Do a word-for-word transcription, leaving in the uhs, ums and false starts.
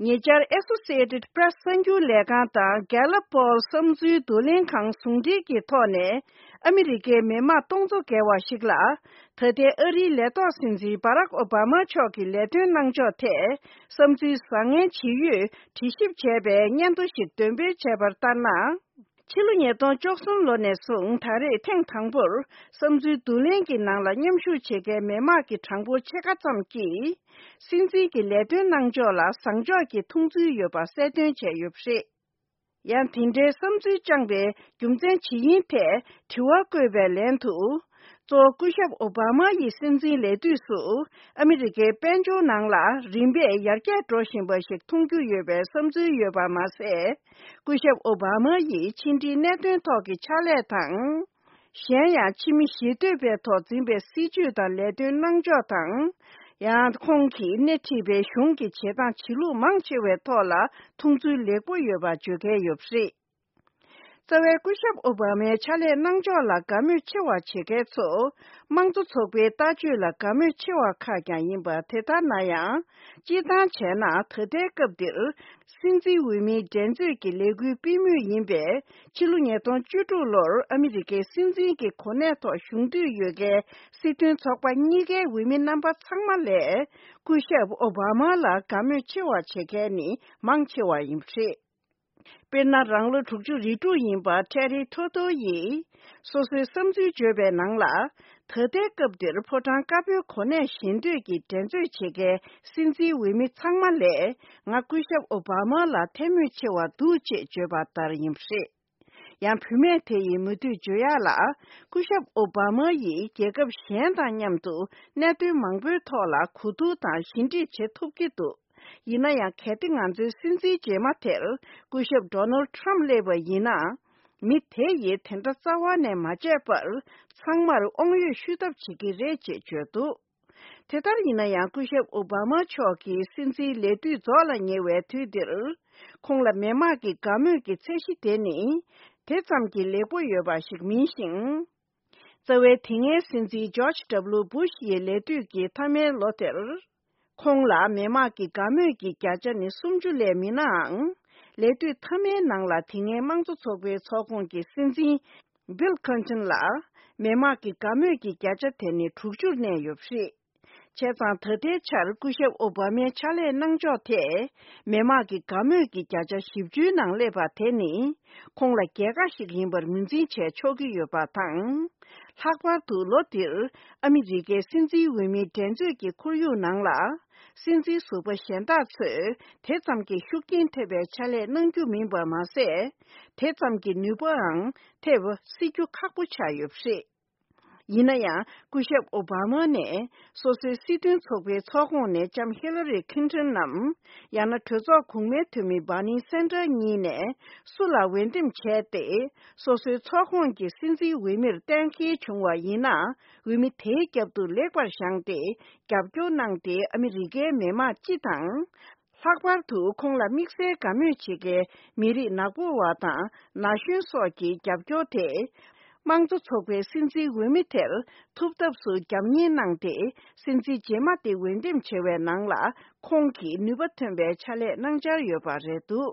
ཉེ་ཆར་Associated Press གསར་འགྱུར་ལས་ཁང་དང་Gallup Poll བསམ་ཚུལ་བསྡུ་ལེན་ཁང་ཟུང་འབྲེལ་གྱི་ཐོག་ནས། ཨ་མི་རི་ཀའི་མི་དམངས་སྟོང་ཚོ་བརྒལ་བ་ཞིག་ལ། ད་ལྟའི་ཨ་རིའི་ལས་ཐོག་སྲིད་འཛིན་Barack Obama མཆོག་གི་ལས་དོན་གནང་ཕྱོགས་ཐད། བསམ་ཚུལ་བཟང་ངན་ཇི་ཡོད་དྲི་ཞིབ་བྱས་པའི་སྙན་ཐོ་ཞིག་འདོན་སྤེལ་བྱས་པར་ལྟར་ན། ཕྱི་ལོ་ཉིས་སྟོང་བཅུ་གསུམ་ལོ་ནས་བཟུང་ད་རེས་ཐེངས་དང་པོར་བསམ་ཚུལ་བསྡུ་ལེན་གྱི་ནང་ལ་མཉམ་ཞུགས་བྱེད་མཁན་མི་དམངས་ཀྱི་གྲངས་འབོར་ཕྱེད་ཀ་ཙམ་གྱིས། སྲིད་འཛིན་གྱི་ལས་དོན་གནང་ཕྱོགས་ལ་བཟང་ཕྱོགས་ཀྱི་མཐོང་ཚུལ་ཡོད་པ་གསལ་སྟོན་བྱས་ཡོད་པ་རེད། ཡང་དེ་འདྲའི་བསམ་ཚུལ་བཅངས་པའི་རྒྱུ་མཚན་ཇི་ཡིན་ཐད་དྲི་བ་བཀོད་པའི་ལན་དུ། གཙོ་བོ་སྐུ་ཞབས་ཨོ་བྷ་མ་ཡི་སྲིད་འཛིན་ལས་དུས་སུ་ཨ་མི་རི་ཀའི་དཔལ་འབྱོར་ནང་ལ་རིམ་པས་ཡར་རྒྱས་འགྲོ་བཞིན་པ་ཞིག་མཐོང་རྒྱུ་ཡོད་པའི་བསམ་ཚུལ་ཡོད་པ་མ་ཟད། སྐུ་ཞབས་ཨོ་བྷ་མ་ཡིས་ཕྱི་འབྲེལ་གནད་དོན་ཐོག་གི་ཕྱག་ལས་དང་། གཞན་ཡང་ཕྱི་མི་ཞི་གཏོད་པའི་ཐོག་འཛིན་པའི་སྲིད་ཇུས་དང་ལས་དོན་གནང་ཕྱོགས་དང་། ཡང་ཁོང་གིས་སྣེ་ཁྲིད་པའི་གཞུང་གི་བྱེད་སྟངས་བྱེད་ལུགས་མང་ཆེ་བའི་ཐོག་ལ་མཐོང་ཚུལ་ལེགས་པོ་ཡོད་པ་བརྗོད་མཁན་ཡོད་པ་རེད། རྩ་བའི་སྐུ་ཞབས་ཨོ་བྷ་མའི་ཕྱག་ལས་གནང་ཕྱོགས་ལ་དགའ་མོས་ཆེ་བ་བྱེད་མཁན་ཚོ། དམངས་གཙོ་ཚོགས་པའི་ལྟ་སྤྱོད་ལ་དགའ་མོས་ཆེ་བ་ཁག་ཀྱང་ཡིན་པ་དེ་ལྟར་ན་ཡང་། སྤྱིར་བཏང་བྱས་ན་ད་ལྟའི་སྐབས་འདིར། སྲིད་འཛིན་འོས་མིའི་འགྲན་རྩོད་ཀྱི་ལས་འགུལ་སྤེལ་མུས་ཡིན་པས། ཕྱི་ལོ་ཉིས་སྟོང་བཅུ་དྲུག་ལོར་ཨ་མི་རི་ཀའི་སྲིད་འཛིན་གྱི་གོ་གནས་ཐོག་ཞུགས་འདོད་ཡོད་མཁན་སྲིད་དོན་ཚོགས་པ་གཉིས་ཀའི་འོས་མི་རྣམ་པ་ཚང་མ་ལས། སྐུ་ཞབས་ཨོ་བྷ་མ་ལ་དགའ་མོས་ཆེ་བ་བྱེད་མཁན་ནི་མང་ཆེ་བ་ཡིན་པ་རེད། དཔེར་ན། རང་ལོ་དྲུག་ཅུ་རེ་དྲུག་ཡིན་པ་ཊེ་རི་ཐོ་ཐོ་ཡིས། སོ་སོའི་བསམ་ཚུལ་བརྗོད་པའི་ནང་ལ། ད་ལྟའི་སྐབས་འདིར་ཕོ་བྲང་དཀར་པོའི་གོ་གནས་བཞེས་འདོད་ཀྱི་འགྲན་རྩོད་བྱེད་མཁན་སྲིད་འཛིན་འོས་མི་ཚང་མ་ལས། ང་སྐུ་ཞབས་ཨོ་བྷ་མ་ལ་འཐད་མོས་ཆེ་བ་འདུག་ཅེས་བརྗོད་པ་ལྟར་ཡིན་པ་རེད། ཡང་བུད་མེད་དེ་ཡིས་མུ་མཐུད་བརྗོད་ཡག་ལ། སྐུ་ཞབས་ཨོ་བྷ་མ་ཡིས་རྒྱལ་ཁབ་གཞན་དང་མཉམ་དུ་གནད་དོན་མང་པོའི་ཐོག་ལ་གོ་བསྡུར་དང་ཞི་འགྲིག་བྱེད་ཐུབ་ཀྱི་འདུག་ཡིན་ན་ཡང་། གལ་ཏེ་ང་ཚོའི་སྲིད་འཛིན་རྗེས་མ་དེར་སྐུ་ཞབས་ཌོ་ནལ་ཊམ་སླེབས་པ་ཡིན་ན། མི་དེ་ཡིས་དེ་འདྲ་རྩ་བ་ནས་མ་བྱས་པར། ཚང་མར་དབང་ཡོད་ཞུ་ཐབས་བྱེད་ཀྱི་རེད་ཅེས་བརྗོད་འདུག་དེ་ལྟར་ཡིན་ན་ཡང་། སྐུ་ཞབས་ཨོ་བྷ་མ་མཆོག་གི་སྲིད་འཛིན་ལས་དུས་རྫོགས་ལ་ཉེ་བའི་དུས་འདིར། ཁོང་ལ་མི་དམངས་ཀྱི་དགའ་མོས་ཀྱི་ཚད་གཞི་དེ་ནི། དེ་ཙམ་གྱིས་ལེགས་པོ་ཡོད་པ་ཞིག་མིན་ཞིང་། རྩ་བའི་དེ་སྔའི་སྲིད་འཛིན་ཇོརྗ་ཌབ་ལུ་བུ་ཤ་ཡི་ལས་དུས་ཀྱི་མཐའ་མའི་ལོ་དེར། ཁོང་ལ་མི་དམངས་ཀྱི་དགའ་མོས་ཀྱི་བརྒྱ་ཆ་ནི་སུམ་ཅུ་ལས་མིན་ནའང་། ལས་དུས་མཐའ་མའི་ནང་ལ་དེ་སྔའི་དམངས་གཙོ་ཚོགས་པའི་ཚོགས་ཁོངས་ཀྱི་སྲིད་འཛིན་བྷིལ་ཁིན་ཊོན་ལ། མི་དམངས་ཀྱི་དགའ་མོས་ཀྱི་བརྒྱ་ཆ་དེ་ནི་དྲུག་ཅུར་གནས་ཡོད་པ་རེད། བྱས་ཙང་། ད་ལྟའི་ཆར་སྐུ་ཞབས་ཨོ་བྷ་མའི་ཕྱག་ལས་གནང་ཕྱོགས་ཐད། མི་དམངས་ཀྱི་དགའ་མོས་ཀྱི་བརྒྱ་ཆ་བཞི་བཅུའི་ནང་སླེབས་པ་དེ་ནི། ཁོང་ལ་རྒྱལ་ཁ་ཞིག་ཡིན་པར་ངོས་འཛིན་བྱས་ཆོག་གི་ཡོད་པ་དང་། ལྷག་པར་དུ་ལོ་འདིར་ཨ་མི་རི་ཀའི་སྲིད་འཛིན་འོས་མིའི་འགྲན་རྩོད་ཀྱི་ཁོར་ཡུག་ནང་ལ། སྲིད་འཛིན་ཟུར་པ་གཞན་དག་ཚོས་དེ་ཙམ་གྱི་ཤུགས་རྐྱེན་ཐེབས་པའི་ཕྱག་ལས་གནང་རྒྱུ་མིན་པ་མ་ཟད། དེ་ཙམ་གྱི་ནུས་པའང་ཐེབས་སྲིད་རྒྱུ་ཁག་པོ་ཆགས་ཡོད་པ་རེད། ཡིན་ན་ཡང་། སྐུ་ཞབས་ཨོ་བྷ་མ་ནས་སོ་སོའི་སྲིད་དོན་ཚོགས་པའི་ཚོགས་ཁོངས་ནས་ལྕམ་ཧི་ལ་རི་ཁིན་ཊོན་ནམ། ཡང་ན་གྲོས་ཚོགས་གོང་མའི་འཐུས་མི་བྷར་ནི་སན་ཌར་གཉིས་ནས་སུ་ལ་འོས་འདེམས་བྱས་ཏེ། སོ་སོའི་ཚོགས་ཁོངས་ཀྱི་སྲིད་འཛིན་འོས་མིར་གཏན་འཁེལ་བྱུང་བ་ཡིན་ན། འོས་མི་དེའི་རྒྱབ་ཏུ་ལེགས་པར་བཞེངས་ཏེ་རྒྱབ་སྐྱོར་གནང་སྟེ། ཨ་མི་རི་ཀའི་མི་དམངས་སྤྱི་དང་། ལྷག་པར་དུ་ཁོང་ལ་དམིགས་བསལ་དགའ་མོས་བྱེད་མཁན་མི་རིགས་ནག་པོ་བ་དང་ན་གཞོན་སོགས་ཀྱི་རྒྱབ་སྐྱོར་དེ། དམངས་གཙོ་ཚོགས་པའི་སྲིད་འཛིན་འོས་མི་དེར་ཐུབ་ཐབས་སུ་རྒྱབ་གཉེར་གནང་སྟེ། སྲིད་འཛིན་རྗེས་མ་དེ་འོས་འདེམས་བྱེད་པའི་ནང་ལ་ཁོང་གིས་ནུས་པ་ཐོན་པའི་ཕྱག་ལས་གནང་འཆར་ཡོད་པ་རེད་འདུག